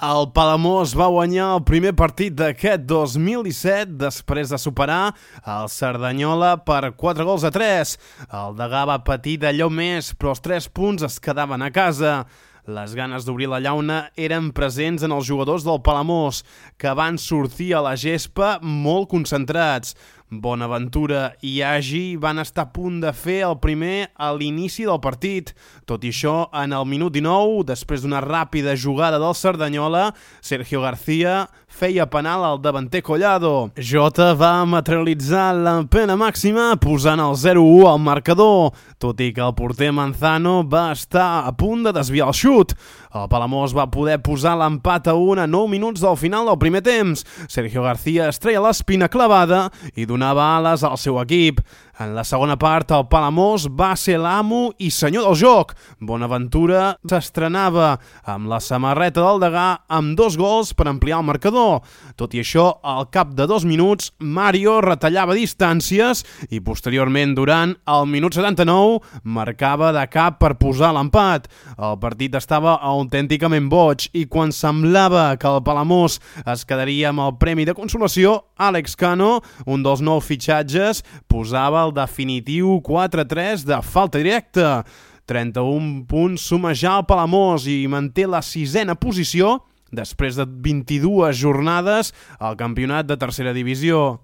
El Palamós va guanyar el primer partit d'aquest 2017 després de superar el Cerdanyola per 4-3. El Degà va patir d'allò més, però els 3 punts es quedaven a casa. Les ganes d'obrir la llauna eren presents en els jugadors del Palamós, que van sortir a la gespa molt concentrats. Bonaventura i Agi van estar a punt de fer el primer a l'inici del partit. Tot i això, en el minut 19, després d'una ràpida jugada del Cerdanyola, Sergio García feia penal al davanter Collado. Jota va materialitzar la pena màxima posant el 0-1 al marcador, tot i que el porter Manzano va estar a punt de desviar el xut. El Palamós va poder posar l'empat a 1 a 9 minuts del final del primer temps. Sergio García es treia l'espina clavada i donava ales al seu equip. En la segona part, el Palamós va ser l'amo i senyor del joc. Bonaventura s'estrenava amb la samarreta del Degà amb 2 gols per ampliar el marcador. Tot i això, al cap de 2 minuts, Mario retallava distàncies i posteriorment, durant el minut 79, marcava de cap per posar l'empat. El partit estava autènticament boig i quan semblava que el Palamós es quedaria amb el premi de consolació, Àlex Cano, un dels nous fitxatges, posava el definitiu 4-3 de falta directa. 31 punts suma ja el Palamós i manté la 6ena posició després de 22 jornades al campionat de tercera divisió.